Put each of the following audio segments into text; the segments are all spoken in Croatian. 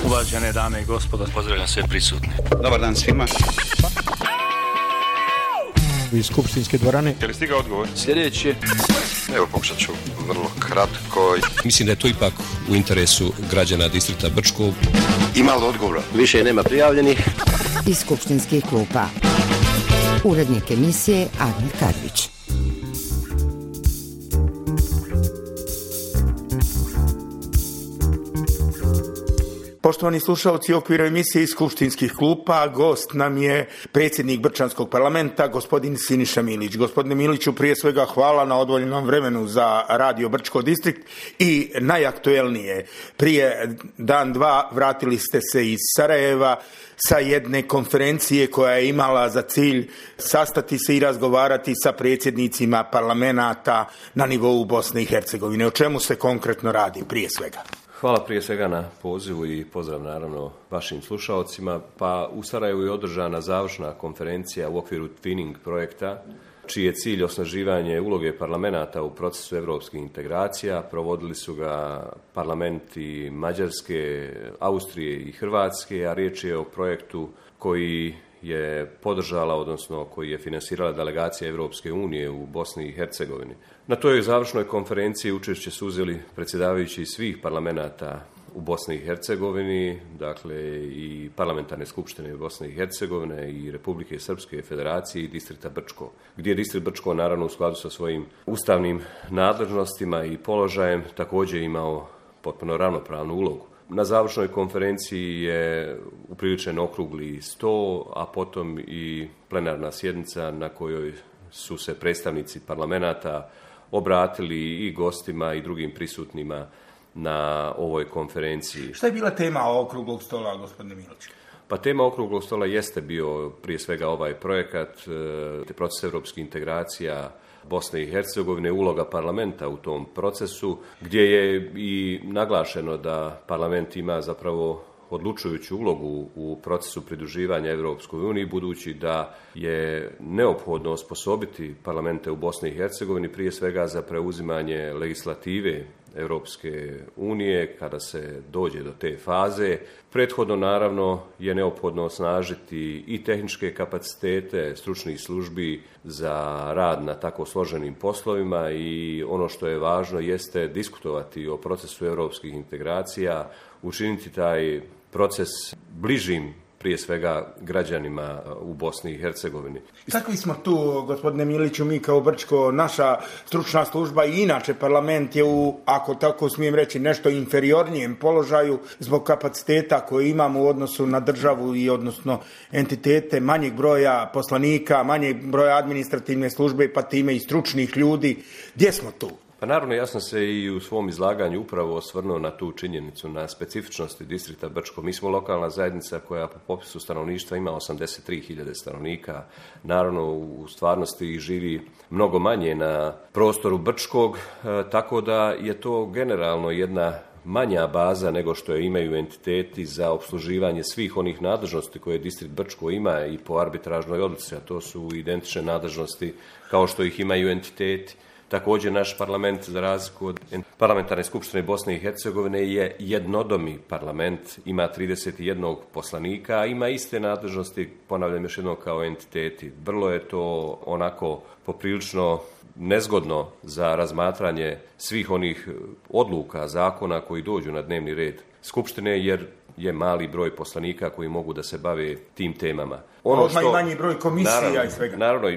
Uvažene dame i gospodo, pozdravljam sve prisutne. Dobar dan svima. Iz skupštinske dvorane. Je li stigao odgovor? Sljedeći. Evo, pokušat ću vrlo kratko. Mislim da je to ipak u interesu građana distrikta Brčko. Ima li odgovora? Više nema prijavljenih. Iz skupštinskih klupa. Urednik emisije Admir Kadrić. Poštovani slušalci, u okviru emisije iz skupštinskih klupa gost nam je predsjednik Brčanskog parlamenta, gospodin Siniša Milić. Gospodine Miliću, prije svega hvala na odvojenom vremenu za Radio Brčko distrikt i najaktuelnije. Prije dan, dva vratili ste se iz Sarajeva sa jedne konferencije koja je imala za cilj sastati se i razgovarati sa predsjednicima parlamenata na nivou Bosne i Hercegovine. O čemu se konkretno radi prije svega? Hvala prije svega na pozivu i pozdrav naravno vašim slušalcima. Pa u Sarajevu je održana završna konferencija u okviru Twinning projekta, čiji je cilj osnaživanje uloge parlamenta u procesu europskih integracija. Provodili su ga parlamenti Mađarske, Austrije i Hrvatske, a riječ je o projektu koji je podržala, odnosno koji je finansirala delegacija Europske unije u Bosni i Hercegovini. Na toj završnoj konferenciji učešće su uzeli predsjedavajući svih parlamenata u Bosni i Hercegovini, dakle i parlamentarne skupštine Bosne i Hercegovine i Republike Srpske Federacije i distrikta Brčko, gdje je distrikt Brčko naravno u skladu sa svojim ustavnim nadležnostima i položajem također imao potpuno ravnopravnu ulogu. Na završnoj konferenciji je upriličen okrugli sto, a potom i plenarna sjednica na kojoj su se predstavnici parlamenata obratili i gostima i drugim prisutnima na ovoj konferenciji. Šta je bila tema okruglog stola, gospodine Milić? Pa tema okruglog stola jeste bio prije svega ovaj projekat, proces europskih integracija Bosne i Hercegovine, uloga parlamenta u tom procesu, gdje je i naglašeno da parlament ima zapravo odlučujuću ulogu u procesu pridruživanja Europskoj uniji, budući da je neophodno osposobiti parlamente u Bosni i Hercegovini prije svega za preuzimanje legislative Europske unije kada se dođe do te faze. Prethodno naravno je neophodno osnažiti i tehničke kapacitete stručnih službi za rad na tako složenim poslovima i ono što je važno jeste diskutovati o procesu europskih integracija, učiniti taj proces bližim prije svega građanima u Bosni i Hercegovini. Takvi smo tu, gospodine Miliću, mi kao Brčko, naša stručna služba i inače parlament je u, ako tako smijem reći, nešto inferiornijem položaju zbog kapaciteta koje imamo u odnosu na državu i odnosno entitete, manjeg broja poslanika, manjeg broja administrativne službe, pa time i stručnih ljudi. Gdje smo tu? Pa naravno, ja sam se i u svom izlaganju upravo osvrnuo na tu činjenicu, na specifičnosti distrikta Brčko. Mi smo lokalna zajednica koja po popisu stanovništva ima 83.000 stanovnika. Naravno, u stvarnosti živi mnogo manje na prostoru Brčkog, tako da je to generalno jedna manja baza nego što je imaju entiteti za opsluživanje svih onih nadležnosti koje distrikt Brčko ima i po arbitražnoj odluci, a to su identične nadležnosti kao što ih imaju entiteti. Također naš parlament, za razliku od parlamentarne skupštine Bosne i Hercegovine, je jednodomi parlament, ima 31 poslanika, a ima iste nadležnosti, ponavljam još jednom, kao entiteti. Vrlo je to onako poprilično nezgodno za razmatranje svih onih odluka, zakona koji dođu na dnevni red skupštine, jer je mali broj poslanika koji mogu da se bave tim temama. I manji broj komisija i svega. Naravno,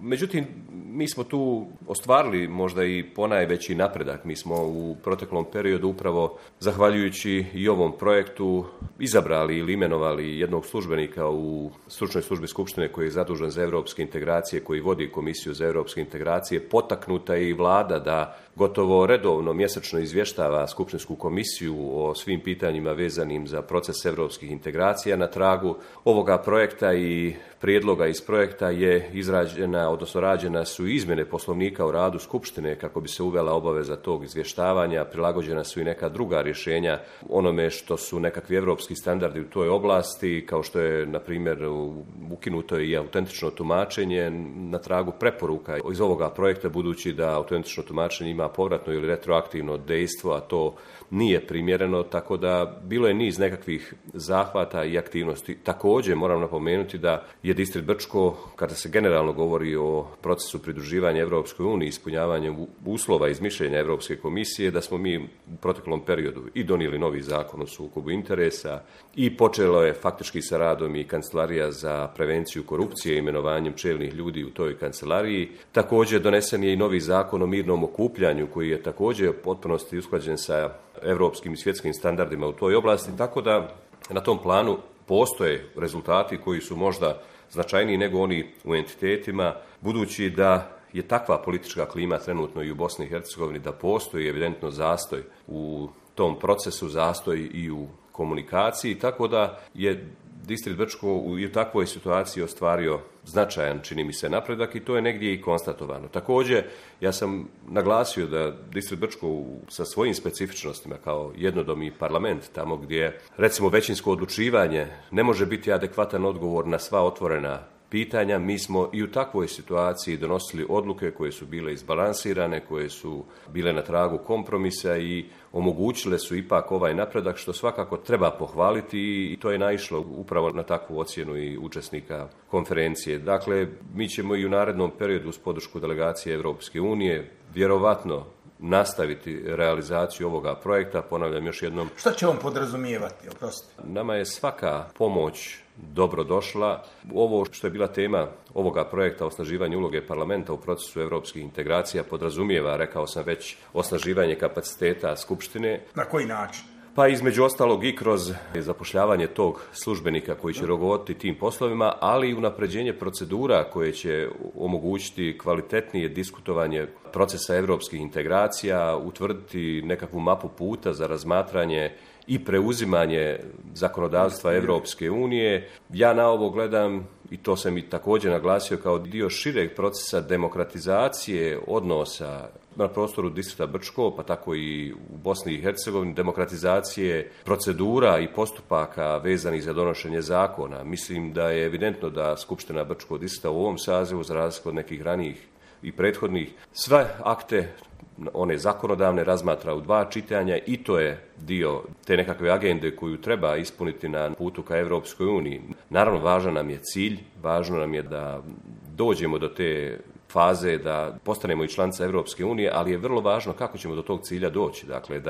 međutim, mi smo tu ostvarili možda i ponajveći napredak. Mi smo u proteklom periodu upravo zahvaljujući i ovom projektu izabrali ili imenovali jednog službenika u stručnoj službi Skupštine koji je zadužen za europske integracije, koji vodi Komisiju za europske integracije. Potaknuta je i vlada da gotovo redovno mjesečno izvještava Skupštinsku komisiju o svim pitanjima vezanim za proces europskih integracija. Na tragu ovoga projekta i prijedloga iz projekta je izrađena, odnosno rađena su izmjene Poslovnika o radu Skupštine kako bi se uvela obaveza tog izvještavanja, prilagođena su i neka druga rješenja onome što su nekakvi europski standardi u toj oblasti, kao što je, na primjer, ukinuto i autentično tumačenje na tragu preporuka iz ovoga projekta, budući da autentično tumačenje ima ima povratno ili retroaktivno dejstvo, a to nije primjereno, tako da bilo je niz nekakvih zahvata i aktivnosti. Također moram napomenuti da je Distrikt Brčko, kada se generalno govori o procesu pridruživanja Europskoj uniji, ispunjavanjem uslova iz mišljenja Europske komisije, da smo mi u proteklom periodu i donijeli novi zakon o sukobu interesa i počelo je faktički sa radom i Kancelarija za prevenciju korupcije imenovanjem čelnih ljudi u toj kancelariji. Također donesen je i novi zakon o mirnom okupljanju koji je također u potpunosti usklađen sa europskim i svjetskim standardima u toj oblasti, tako da na tom planu postoje rezultati koji su možda značajniji nego oni u entitetima, budući da je takva politička klima trenutno i u Bosni i Hercegovini da postoji evidentno zastoj u tom procesu, zastoj i u komunikaciji, tako da je Distrikt Brčko i u takvoj situaciji ostvario značajan, čini mi se, napredak i to je negdje i konstatovano. Također, ja sam naglasio da Distrikt Brčko sa svojim specifičnostima kao jednodomni parlament, tamo gdje recimo većinsko odlučivanje ne može biti adekvatan odgovor na sva otvorena pitanja, mi smo i u takvoj situaciji donosili odluke koje su bile izbalansirane, koje su bile na tragu kompromisa i omogućile su ipak ovaj napredak, što svakako treba pohvaliti i to je naišlo upravo na takvu ocjenu i učesnika konferencije. Dakle, mi ćemo i u narednom periodu uz podršku delegacije Europske unije vjerovatno nastaviti realizaciju ovoga projekta. Ponavljam još jednom. Šta će on podrazumijevati? Oprostite. Nama je svaka pomoć dobro došla. Ovo što je bila tema ovoga projekta, osnaživanje uloge parlamenta u procesu europskih integracija, podrazumijeva, rekao sam već, osnaživanje kapaciteta Skupštine. Na koji način? Pa između ostalog i kroz zapošljavanje tog službenika koji će rukovoditi tim poslovima, ali i unapređenje procedura koje će omogućiti kvalitetnije diskutovanje procesa europskih integracija, utvrditi nekakvu mapu puta za razmatranje i preuzimanje zakonodavstva Europske unije. Ja na ovo gledam, i to sam i također naglasio, kao dio šireg procesa demokratizacije odnosa na prostoru Distrikta Brčko, pa tako i u Bosni i Hercegovini, demokratizacije procedura i postupaka vezanih za donošenje zakona. Mislim da je evidentno da Skupština Brčkog distrikta u ovom sazivu, za razliku od nekih ranijih i prethodnih, sve akte, one zakonodavne, razmatra u 2 čitanja i to je dio te nekakve agende koju treba ispuniti na putu ka Europskoj uniji. Naravno, važan nam je cilj, važno nam je da dođemo do te faze da postanemo i članica Europske unije, ali je vrlo važno kako ćemo do tog cilja doći. Dakle,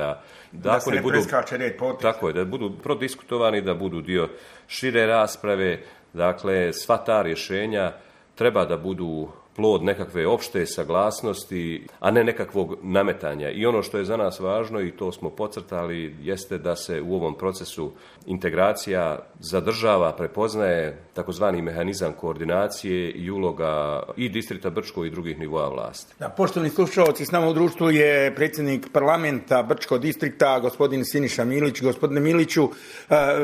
da se ne preskače red poteza. Tako je, da budu prodiskutovani, da budu dio šire rasprave. Dakle, sva ta rješenja treba da budu plod nekakve opšte saglasnosti, a ne nekakvog nametanja. I ono što je za nas važno, i to smo podcrtali, jeste da se u ovom procesu integracija zadržava, prepoznaje takozvani mehanizam koordinacije i uloga i Distrikta Brčko i drugih nivoa vlasti. Da, poštovani slušalci, s nama u društvu je predsjednik parlamenta Brčkog distrikta, gospodin Siniša Milić. Gospodine Miliću,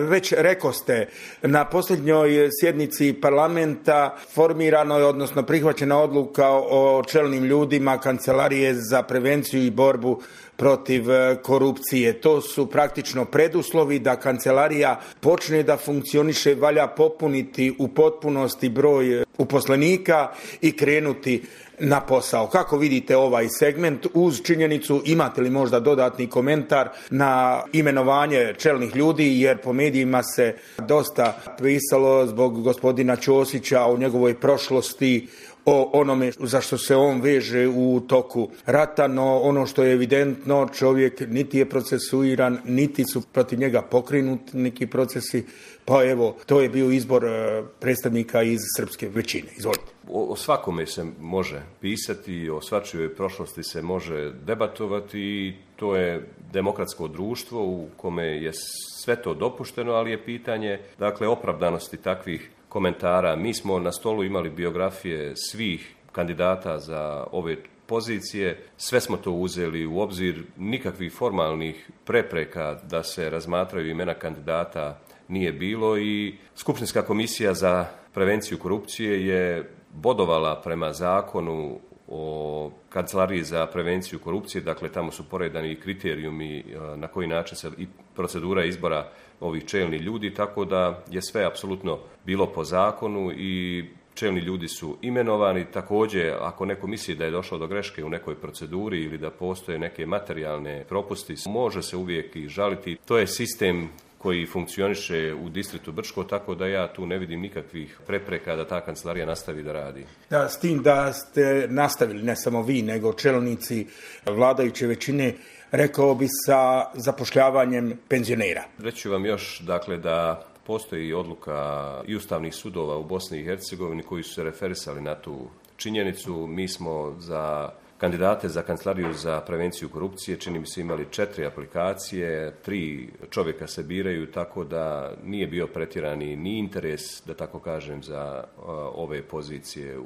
već rekoste, na posljednjoj sjednici parlamenta formirano je, odnosno prihvaćena odluka o čelnim ljudima Kancelarije za prevenciju i borbu protiv korupcije. To su praktično preduslovi da kancelarija počne da funkcioniše, valja popuniti u potpunosti broj uposlenika i krenuti na posao. Kako vidite ovaj segment uz činjenicu, imate li možda dodatni komentar na imenovanje čelnih ljudi, jer po medijima se dosta pisalo zbog gospodina Ćosića o njegovoj prošlosti, o onome za što se on veže u toku rata, no ono što je evidentno, čovjek niti je procesuiran, niti su protiv njega pokrenuti neki procesi, pa evo, to je bio izbor predstavnika iz srpske većine. Izvolite. O svakome se može pisati, o svačijoj prošlosti se može debatovati i to je demokratsko društvo u kome je sve to dopušteno, ali je pitanje, dakle, opravdanosti takvih komentara. Mi smo na stolu imali biografije svih kandidata za ove pozicije, sve smo to uzeli u obzir, nikakvih formalnih prepreka da se razmatraju imena kandidata nije bilo i Skupštinska komisija za prevenciju korupcije je bodovala prema zakonu o Kancelariji za prevenciju korupcije, dakle tamo su poredani i kriterijumi na koji način se i procedura izbora ovih čelnih ljudi, tako da je sve apsolutno bilo po zakonu i čelni ljudi su imenovani. Također, ako neko misli da je došlo do greške u nekoj proceduri ili da postoje neke materijalne propusti, može se uvijek i žaliti. To je sistem koji funkcioniše u distriktu Brčko, tako da ja tu ne vidim nikakvih prepreka da ta kancelarija nastavi da radi. Da, s tim da ste nastavili, ne samo vi, nego čelnici vladajuće većine, rekao bi sa zapošljavanjem penzionera. Reći ću vam još, dakle, da postoji odluka i ustavnih sudova u Bosni i Hercegovini koji su se referisali na tu činjenicu. Mi smo za kandidate za kancelariju za prevenciju korupcije, čini mi se, imali 4 aplikacije, 3 čovjeka se biraju, tako da nije bio pretjerani ni interes, da tako kažem, za ove pozicije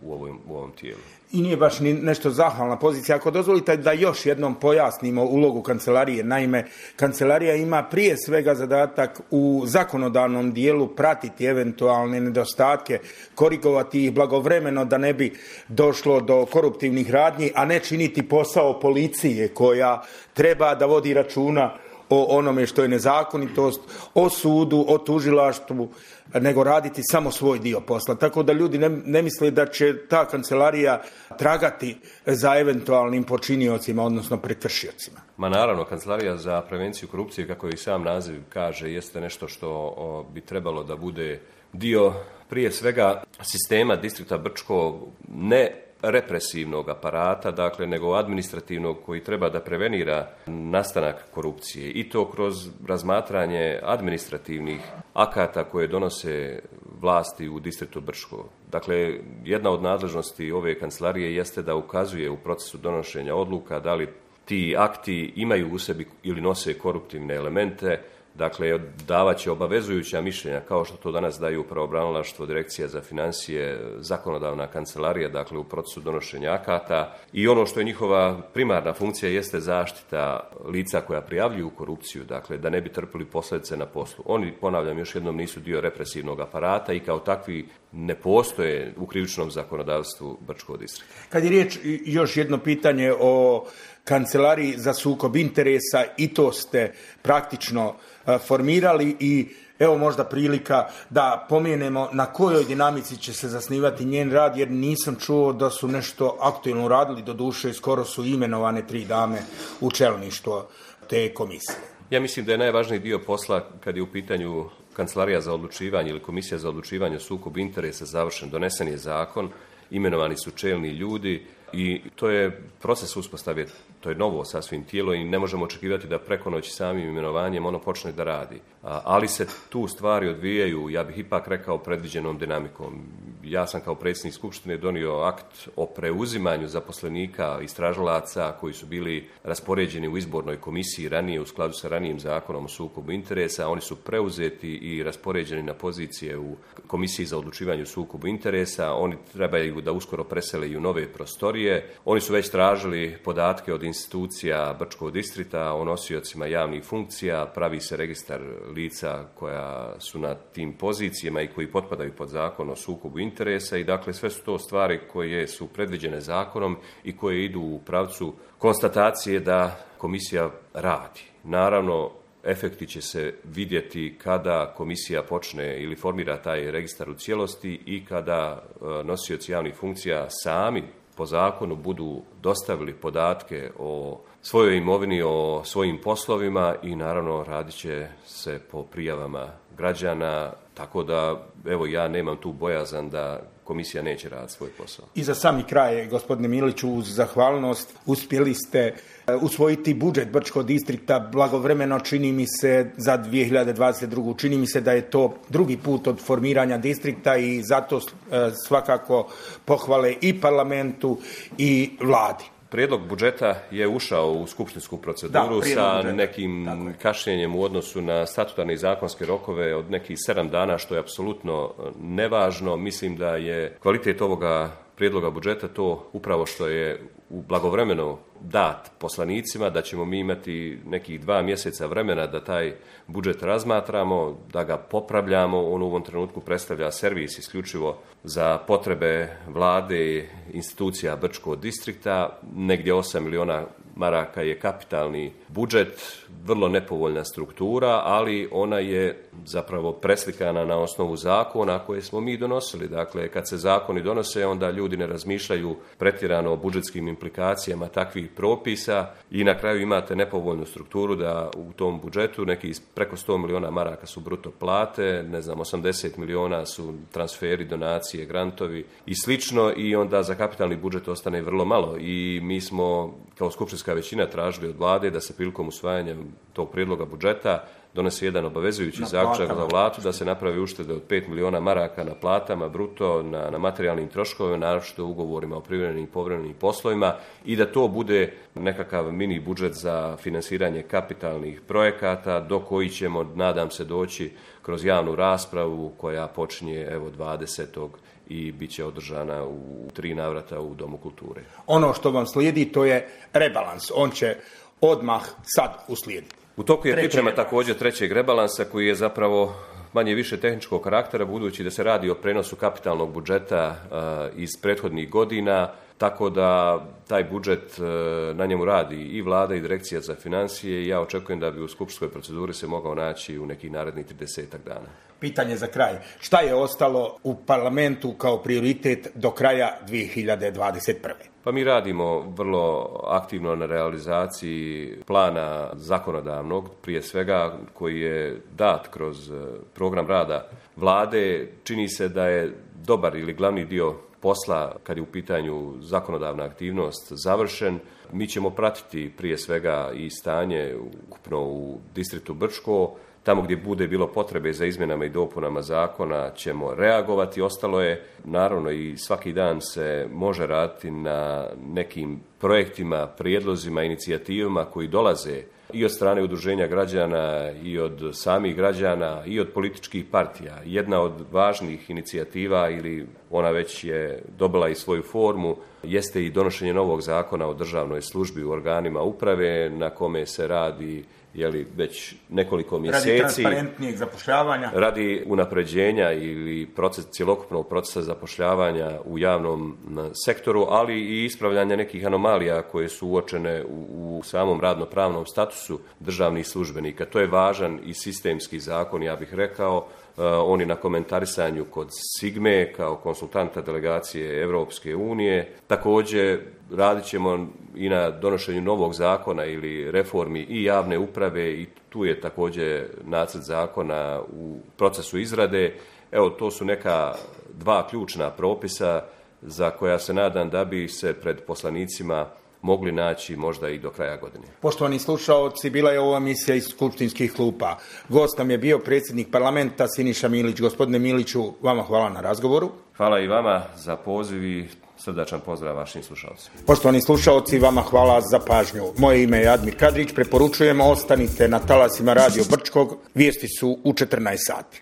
u ovom tijelu. I nije baš ni nešto zahvalna pozicija. Ako dozvolite da još jednom pojasnimo ulogu kancelarije, naime, kancelarija ima prije svega zadatak u zakonodavnom dijelu pratiti eventualne nedostatke, korigovati ih blagovremeno da ne bi došlo do koruptivnih radnji, a ne činiti posao policije koja treba da vodi računa o onome što je nezakonitost, o sudu, o tužilaštvu, nego raditi samo svoj dio posla. Tako da ljudi ne misle da će ta kancelarija tragati za eventualnim počiniocima, odnosno prekršiocima. Ma naravno, kancelarija za prevenciju korupcije, kako i sam naziv kaže, jeste nešto što bi trebalo da bude dio prije svega sistema distrikta Brčko, ne represivnog aparata, dakle, nego administrativnog koji treba da prevenira nastanak korupcije i to kroz razmatranje administrativnih akata koje donose vlasti u distriktu Brčko. Dakle, jedna od nadležnosti ove kancelarije jeste da ukazuje u procesu donošenja odluka da li ti akti imaju u sebi ili nose koruptivne elemente. Dakle, davat će obavezujuća mišljenja, kao što to danas daju pravobranilaštvo, Direkcija za financije, zakonodavna kancelarija, dakle u procesu donošenja akata. I ono što je njihova primarna funkcija jeste zaštita lica koja prijavljuju korupciju, dakle da ne bi trpili posljedice na poslu. Oni, ponavljam još jednom, nisu dio represivnog aparata i kao takvi ne postoje u krivičnom zakonodavstvu Brčkog distrikta. Kad je riječ, još jedno pitanje o kancelariji za sukob interesa, i to ste praktično formirali i evo možda prilika da pomenemo na kojoj dinamici će se zasnivati njen rad, jer nisam čuo da su nešto aktualno radili, doduše skoro su imenovane 3 dame u čelništvo te komisije. Ja mislim da je najvažniji dio posla kad je u pitanju kancelarija za odlučivanje ili komisija za odlučivanje o sukobu interesa završen, donesen je zakon, imenovani su čelni ljudi i to je proces uspostave, to je novo sasvim tijelo i ne možemo očekivati da preko noći samim imenovanjem ono počne da radi. Ali se tu stvari odvijaju, ja bih ipak rekao, predviđenom dinamikom. Ja sam kao predsjednik Skupštine donio akt o preuzimanju zaposlenika, istražilaca koji su bili raspoređeni u izbornoj komisiji ranije u skladu sa ranijim zakonom o sukobu interesa. Oni su preuzeti i raspoređeni na pozicije u komisiji za odlučivanje o sukobu interesa. Oni trebaju da uskoro presele i u nove prostorije. Oni su već tražili podatke od institucija Brčkog distrikta o nosiocima javnih funkcija, pravi se registar lica koja su na tim pozicijama i koji potpadaju pod zakon o sukobu interesa i dakle sve su to stvari koje su predviđene zakonom i koje idu u pravcu konstatacije da komisija radi. Naravno, efekti će se vidjeti kada komisija počne ili formira taj registar u cijelosti i kada nosioci javnih funkcija sami po zakonu budu dostavili podatke o svojoj imovini, o svojim poslovima i naravno radit će se po prijavama građana, tako da evo ja nemam tu bojazan da komisija neće raditi svoj posao. I za sami kraj, gospodine Miliću, uz zahvalnost uspjeli ste usvojiti budžet Brčkog distrikta blagovremeno, čini mi se, za 2022. Čini mi se da je to drugi put od formiranja distrikta i zato svakako pohvale i parlamentu i vladi. Prijedlog budžeta je ušao u skupštinsku proceduru sa nekim kašnjenjem u odnosu na statutarne i zakonske rokove od nekih 7 dana, što je apsolutno nevažno. Mislim da je kvalitet ovoga prijedloga budžeta to upravo što je blagovremeno dat poslanicima, da ćemo mi imati nekih 2 mjeseca vremena da taj budžet razmatramo, da ga popravljamo. On u ovom trenutku predstavlja servis isključivo za potrebe vlade, institucija Brčkog distrikta. Negdje 8 miliona maraka je kapitalni budžet, vrlo nepovoljna struktura, ali ona je zapravo preslikana na osnovu zakona koje smo mi donosili. Dakle, kad se zakoni donose, onda ljudi ne razmišljaju pretjerano o budžetskim implikacijama takvih propisa i na kraju imate nepovoljnu strukturu da u tom budžetu neki preko 100 miliona maraka su bruto plate, 80 miliona su transferi, donacije, grantovi i slično, i onda za kapitalni budžet ostane vrlo malo. I mi smo kao skupštinska većina tražili od vlade da se prilikom usvajanja tog prijedloga budžeta donese jedan obavezujući zaključak za vladu da se napravi uštede od 5 miliona maraka na platama bruto, na materijalnim troškovima, naročito ugovorima o privremenim i povremenim poslovima, i da to bude nekakav mini budžet za finansiranje kapitalnih projekata do koji ćemo, nadam se, doći kroz javnu raspravu koja počinje 20. i bit će održana u 3 navrata u Domu kulture. Ono što vam slijedi, to je rebalans. On će odmah sad uslijediti. U toku je priprema također trećeg rebalansa koji je zapravo manje više tehničkog karaktera, budući da se radi o prenosu kapitalnog budžeta iz prethodnih godina, tako da taj budžet, na njemu radi i vlada i direkcija za financije, i ja očekujem da bi u skupštinskoj proceduri se mogao naći u nekih narednih 30 dana. Pitanje za kraj. Šta je ostalo u parlamentu kao prioritet do kraja 2021. Pa mi radimo vrlo aktivno na realizaciji plana zakonodavnog, prije svega koji je dat kroz program rada vlade. Čini se da je dobar ili glavni dio posla, kad je u pitanju zakonodavna aktivnost, završen. Mi ćemo pratiti prije svega i stanje ukupno u distriktu Brčko. Tamo gdje bude bilo potrebe za izmjenama i dopunama zakona ćemo reagovati. Ostalo je, naravno, i svaki dan se može raditi na nekim projektima, prijedlozima, inicijativama koji dolaze i od strane udruženja građana, i od samih građana, i od političkih partija. Jedna od važnih inicijativa, ili ona već je dobila i svoju formu, jeste i donošenje novog zakona o državnoj službi u organima uprave, na kome se radi već nekoliko mjeseci. Radi transparentnijeg zapošljavanja. Radi unapređenja ili cjelokupnog procesa zapošljavanja u javnom sektoru, ali i ispravljanja nekih anomalija koje su uočene u samom radno-pravnom statusu državnih službenika. To je važan i sistemski zakon, ja bih rekao. On je na komentarisanju kod Sigme kao konsultanta delegacije Europske unije. Također radit ćemo i na donošenju novog zakona ili reformi i javne uprave, i tu je također nacrt zakona u procesu izrade. To su neka 2 ključna propisa za koja se nadam da bi se pred poslanicima mogli naći možda i do kraja godine. Poštovani slušaoci, bila je ova emisija iz skupštinskih klupa. Gost nam je bio predsjednik parlamenta Siniša Milić. Gospodine Miliću, vama hvala na razgovoru. Hvala i vama za poziv i srdačan pozdrav vašim slušalcima. Poštovani slušaoci, vama hvala za pažnju. Moje ime je Admir Kadrić. Preporučujemo, ostanite na talasima Radio Brčkog. Vijesti su u 14 sati.